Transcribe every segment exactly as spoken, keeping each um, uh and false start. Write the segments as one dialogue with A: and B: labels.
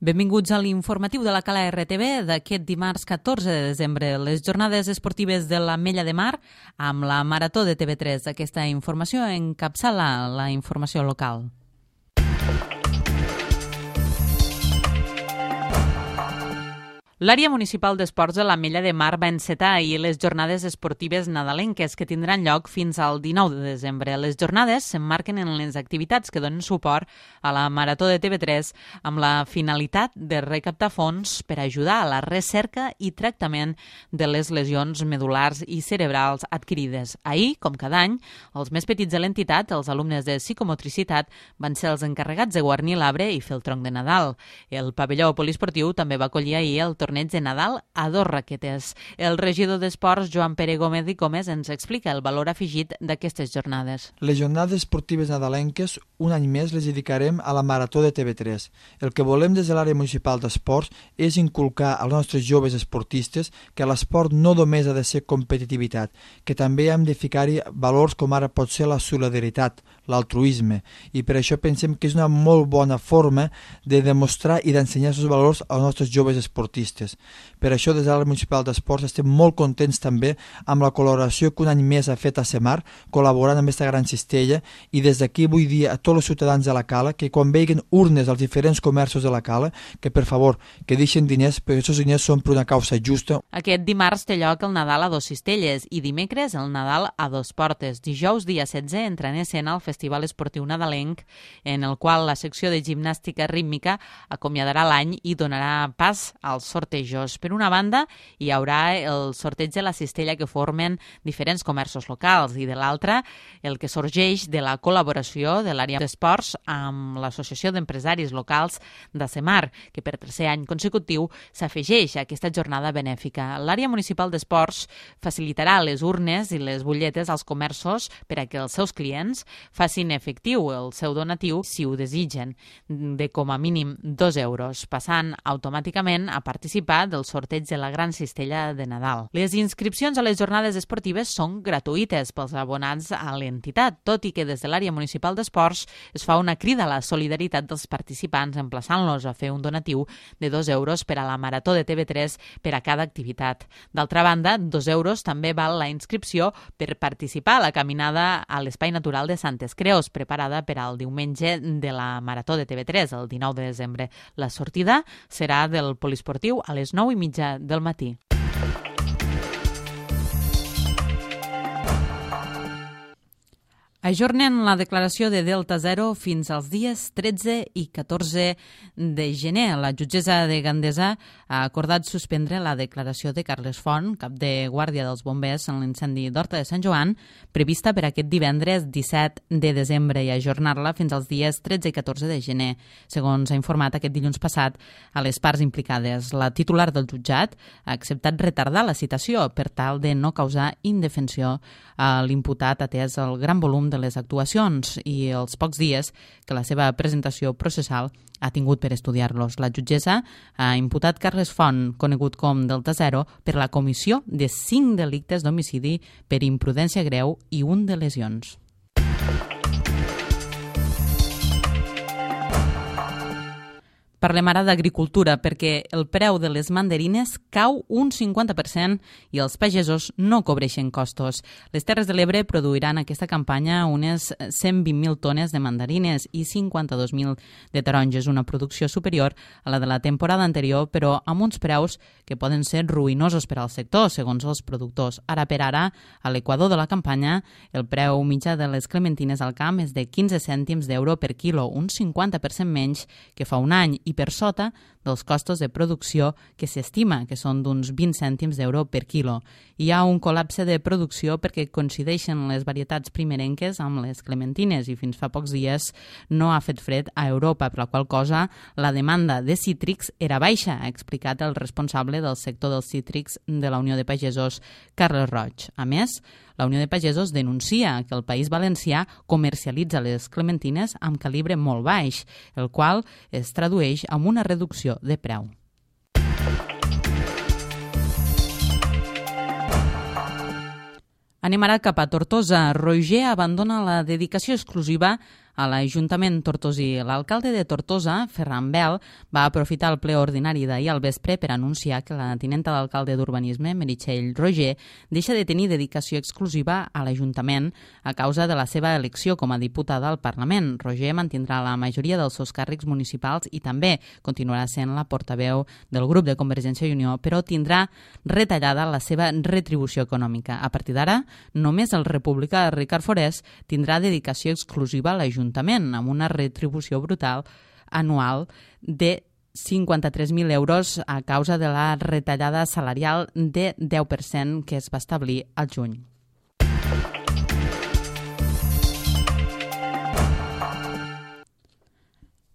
A: Benvinguts a l'informatiu de la Cala R T V d'aquest dimarts catorze de desembre. Les jornades esportives de l'Ametlla de Mar amb la Marató de T V tres. Aquesta informació encapçala la informació local. L'àrea municipal d'esports de l'Ametlla de Mar va encetar ahir les jornades esportives nadalenques que tindran lloc fins al dinou de desembre. Les jornades s'emmarquen en les activitats que donen suport a la Marató de T V tres amb la finalitat de recaptar fons per ajudar a la recerca i tractament de les lesions medul·lars i cerebrals adquirides. Ahir, com cada any, els més petits de l'entitat, els alumnes de psicomotricitat, van ser els encarregats de guarnir l'arbre i fer el tronc de Nadal. El pavelló poliesportiu també va acollir ahir el torneig de Nadal a dos raquetes. El regidor d'Esports, Joan Pere Gómez i Gómez, ens explica el valor afegit d'aquestes jornades.
B: Les jornades esportives nadalenques, un any més, les dedicarem a la Marató de T V tres. El que volem des de l'àrea municipal d'esports és inculcar als nostres joves esportistes que l'esport no només ha de ser competitivitat, que també hem de ficar-hi valors com ara pot ser la solidaritat, l'altruisme, i per això pensem que és una molt bona forma de demostrar i d'ensenyar aquests valors als nostres joves esportistes. Per això, des de l'àrea municipal d'esports, estem molt contents també amb la col·laboració que un any més ha fet a Semar, col·laborant amb aquesta gran cistella, i des d'aquí vull dir a tots els ciutadans de la Cala que quan vegin urnes als diferents comerços de la Cala, que per favor, que deixen diners, perquè aquests diners són per una causa justa.
A: Aquest dimarts té lloc el Nadal a dos cistelles i dimecres el Nadal a dos portes. Dijous, dia setze, entra en escena el Festival Esportiu Nadalenc, en el qual la secció de gimnàstica rítmica acomiadarà l'any i donarà pas als sortejos. Per una banda, hi haurà el sorteig de la cistella que formen diferents comerços locals i de l'altra, el que sorgeix de la col·laboració de l'àrea d'esports amb l'Associació d'Empresaris Locals de Semar, que per tercer any consecutiu s'afegeix a aquesta jornada benèfica. L'àrea municipal d'esports facilitarà les urnes i les butlletes als comerços per a que els seus clients facin efectiu el seu donatiu, si ho desitgen, de com a mínim dos euros, passant automàticament a participar del sorteig de la gran cistella de Nadal. Les inscripcions a les jornades esportives són gratuïtes pels abonats a l'entitat, tot i que des de l'àrea municipal d'esports es fa una crida a la solidaritat dels participants emplaçant-los a fer un donatiu de dos euros per a la Marató de T V tres per a cada activitat. D'altra banda, dos euros també val la inscripció per participar a la caminada a l'Espai Natural de Santes Creus, preparada per al diumenge de la Marató de T V tres, el dinou de desembre. La sortida serà del poliesportiu a les nou i mitja del matí. Ajornen la declaració de Delta Zero fins als dies tretze i catorze de gener. La jutgessa de Gandesa ha acordat suspendre la declaració de Carles Font, cap de guàrdia dels bombers en l'incendi d'Horta de Sant Joan, prevista per aquest divendres disset de desembre i ajornar-la fins als dies tretze i catorze de gener, segons ha informat aquest dilluns passat a les parts implicades. La titular del jutjat ha acceptat retardar la citació per tal de no causar indefensió a l'imputat atès el gran volum de de les actuacions i els pocs dies que la seva presentació processal ha tingut per estudiar-los. La jutgessa ha imputat Carles Font, conegut com Delta Zero, per la comissió de cinc delictes d'homicidi per imprudència greu i un de lesions. Parlem ara d'agricultura, perquè el preu de les mandarines cau un cinquanta per cent i els pagesos no cobreixen costos. Les Terres de l'Ebre produiran aquesta campanya unes cent vint mil tones de mandarines i cinquanta-dos mil de taronges, una producció superior a la de la temporada anterior, però amb uns preus que poden ser ruïnosos per al sector, segons els productors. Ara per ara, a l'equador de la campanya, el preu mitjà de les clementines al camp és de quinze cèntims d'euro per quilo, un cinquanta per cent menys que fa un any, i per sota dels costos de producció que s'estima, que són d'uns vint cèntims d'euro per quilo. Hi ha un col·lapse de producció perquè coincideixen les varietats primerenques amb les clementines i fins fa pocs dies no ha fet fred a Europa, per la qual cosa la demanda de cítrics era baixa, ha explicat el responsable del sector dels cítrics de la Unió de Pagesos, Carles Roig. A més, la Unió de Pagesos denuncia que el País Valencià comercialitza les clementines amb calibre molt baix, el qual es tradueix en una reducció de preu. Anem ara cap a Tortosa. Roger abandona la dedicació exclusiva a l'Ajuntament tortosí. L'alcalde de Tortosa, Ferran Bel, va aprofitar el ple ordinari d'ahir al vespre per anunciar que la tinenta d'alcalde d'Urbanisme, Meritxell Roger, deixa de tenir dedicació exclusiva a l'Ajuntament a causa de la seva elecció com a diputada al Parlament. Roger mantindrà la majoria dels seus càrrecs municipals i també continuarà sent la portaveu del grup de Convergència i Unió, però tindrà retallada la seva retribució econòmica. A partir d'ara, només el republicà Ricard Forès tindrà dedicació exclusiva a l'Ajuntament, amb una retribució brutal anual de cinquanta-tres mil euros a causa de la retallada salarial de deu per cent que es va establir al juny.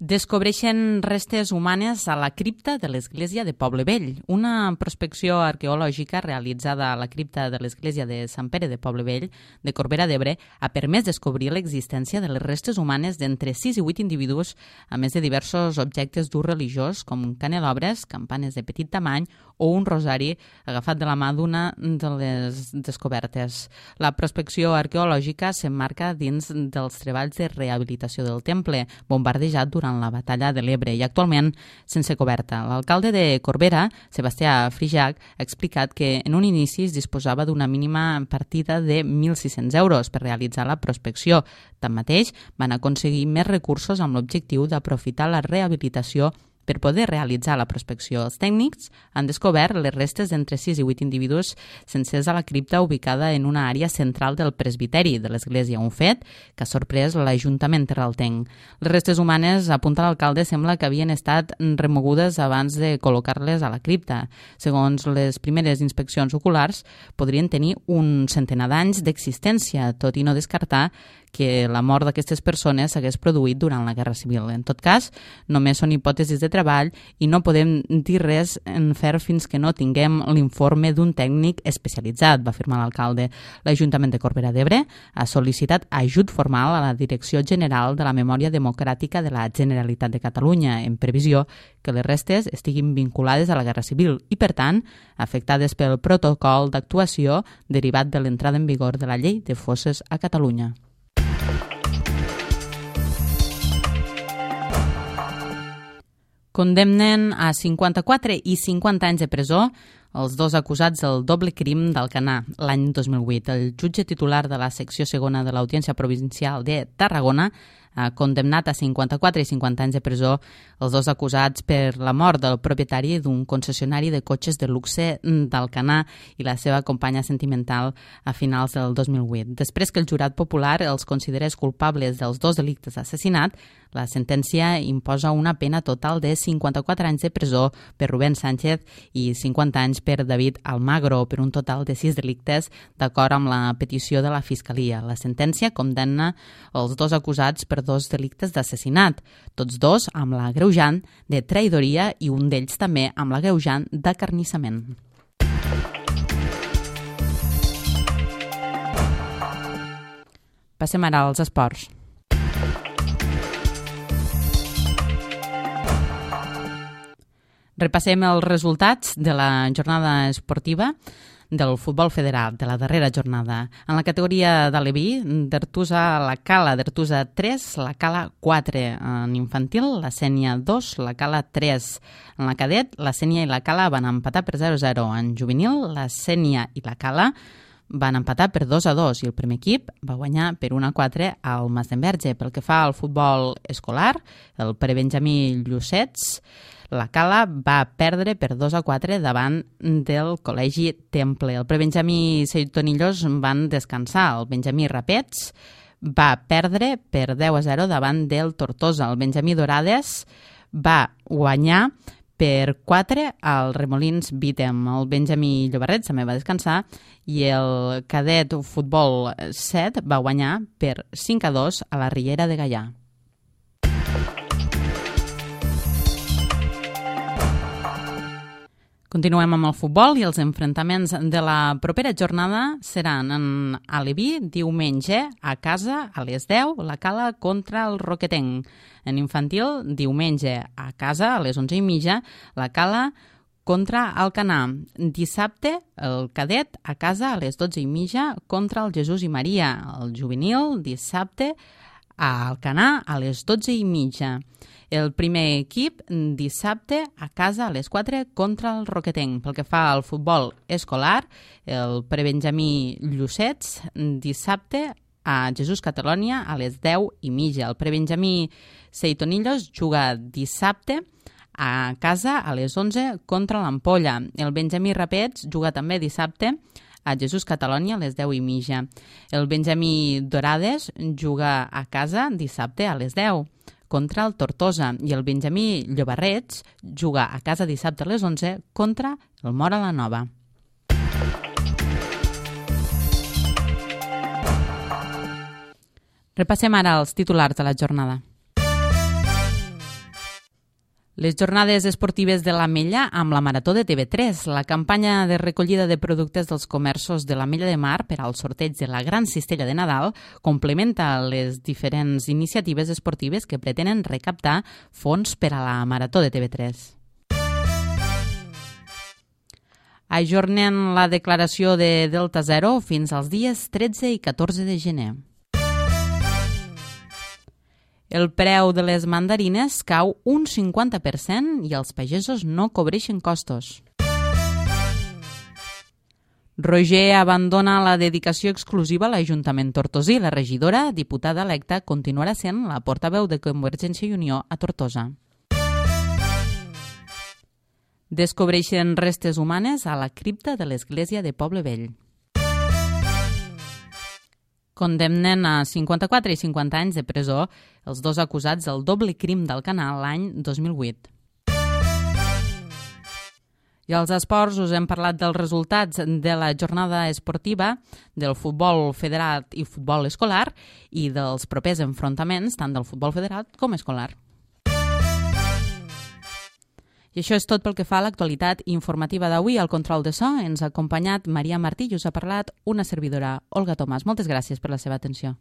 A: Descobreixen restes humanes a la cripta de l'església de Poble Vell. Una prospecció arqueològica realitzada a la cripta de l'església de Sant Pere de Poble Vell de Corbera d'Ebre ha permès descobrir l'existència de les restes humanes d'entre sis i vuit individus, a més de diversos objectes d'ús religiós com canelobres, campanes de petit tamany o un rosari agafat de la mà d'una de les descobertes. La prospecció arqueològica s'emmarca dins dels treballs de rehabilitació del temple, bombardejat durant la batalla de l'Ebre i actualment sense coberta. L'alcalde de Corbera, Sebastià Frijac, ha explicat que en un inici es disposava d'una mínima partida de mil sis-cents euros per realitzar la prospecció. Tanmateix, van aconseguir més recursos amb l'objectiu d'aprofitar la rehabilitació per poder realitzar la prospecció. Els tècnics han descobert les restes d'entre sis i vuit individus sencers a la cripta ubicada en una àrea central del presbiteri de l'església, un fet que ha sorprès l'Ajuntament terraltenc. Les restes humanes, apunta l'alcalde, sembla que havien estat remogudes abans de col·locar-les a la cripta. Segons les primeres inspeccions oculars, podrien tenir un centenar d'anys d'existència, tot i no descartar que la mort d'aquestes persones s'hagués produït durant la Guerra Civil. En tot cas, només són hipòtesis de treball i no podem dir res en fer fins que no tinguem l'informe d'un tècnic especialitzat, va afirmar l'alcalde. L'Ajuntament de Corbera d'Ebre ha sol·licitat ajut formal a la Direcció General de la Memòria Democràtica de la Generalitat de Catalunya, en previsió que les restes estiguin vinculades a la Guerra Civil i, per tant, afectades pel protocol d'actuació derivat de l'entrada en vigor de la Llei de Fosses a Catalunya. Condemnen a cinquanta-quatre i cinquanta anys de presó els dos acusats del doble crim d'Alcanar l'any dos mil vuit. El jutge titular de la secció segona de l'Audiència Provincial de Tarragona ha condemnat a cinquanta-quatre i cinquanta anys de presó els dos acusats per la mort del propietari d'un concessionari de cotxes de luxe d'Alcanar i la seva companya sentimental a finals del dos mil vuit. Després que el jurat popular els considerés culpables dels dos delictes d'assassinat, la sentència imposa una pena total de cinquanta-quatre anys de presó per Rubén Sánchez i cinquanta anys per David Almagro, per un total de sis delictes, d'acord amb la petició de la Fiscalia. La sentència condemna els dos acusats per dos delictes d'assassinat, tots dos amb l'agreujant de traïdoria i un d'ells també amb l'agreujant d'acarnissament. Passem ara als esports. Repassem els resultats de la jornada esportiva del futbol federal, de la darrera jornada. En la categoria d'Aleví, d'Artusa la Cala, d'Artusa tres, la Cala quatre. En infantil, la Sénia dos, la Cala tres. En la cadet, la Sénia i la Cala van empatar per zero a zero. En juvenil, la Sénia i la Cala van empatar per dos a dos i el primer equip va guanyar per un a quatre al Masdenverge. Pel que fa al futbol escolar, el prebenjamí Llucets, la Cala va perdre per dos a quatre davant del Col·legi Temple. El prebenjamí Seitonillos van descansar. El benjamí Rapets va perdre per deu a zero davant del Tortosa. El benjamí Dorades va guanyar per quatre al Remolins Vítem. El benjamí Llobarret també va descansar i el cadet futbol set va guanyar per cinc a dos a la Riera de Gaià. Continuem amb el futbol i els enfrontaments de la propera jornada seran en Aleví, diumenge, a casa, a les deu, la Cala contra el Roquetenc. En infantil, diumenge, a casa, a les onze i mitja, la Cala contra Alcanar. Dissabte, el cadet, a casa, a les dotze i mitja, contra el Jesús i Maria. El juvenil, dissabte, a Alcanar a les dotze i mitja. El primer equip dissabte a casa a les quatre contra el Roquetenc. Pel que fa al futbol escolar, el prebenjamí Llucets dissabte a Jesús Catalònia a les deu i mitja. El prebenjamí Seitonillos juga dissabte a casa a les onze contra l'Ampolla. El benjamí Rapets juga també dissabte a Jesús Catalònia a les deu i mitja. El benjamí Dorades juga a casa dissabte a les deu contra el Tortosa i el benjamí Llobarrets juga a casa dissabte a les onze contra el Móra la Nova. Repassem ara els titulars de la jornada. Les jornades esportives de l'Ametlla amb la Marató de T V tres. La campanya de recollida de productes dels comerços de l'Ametlla de Mar per al sorteig de la Gran Cistella de Nadal complementa les diferents iniciatives esportives que pretenen recaptar fons per a la Marató de T V tres. Ajornen la declaració de Delta Zero fins als dies tretze i catorze de gener. El preu de les mandarines cau un cinquanta per cent i els pagesos no cobreixen costos. Roger abandona la dedicació exclusiva a l'Ajuntament tortosí. La regidora, diputada electa, continuarà sent la portaveu de Convergència i Unió a Tortosa. Descobreixen restes humanes a la cripta de l'església de Poble Vell. Condemnen a cinquanta-quatre i cinquanta anys de presó els dos acusats del doble crim d'Alcanar l'any dos mil vuit. I als esports us hem parlat dels resultats de la jornada esportiva del futbol federat i futbol escolar i dels propers enfrontaments tant del futbol federat com escolar. I això és tot pel que fa a l'actualitat informativa d'avui. Al control de so ens ha acompanyat Maria Martí i us ha parlat una servidora, Olga Tomàs. Moltes gràcies per la seva atenció.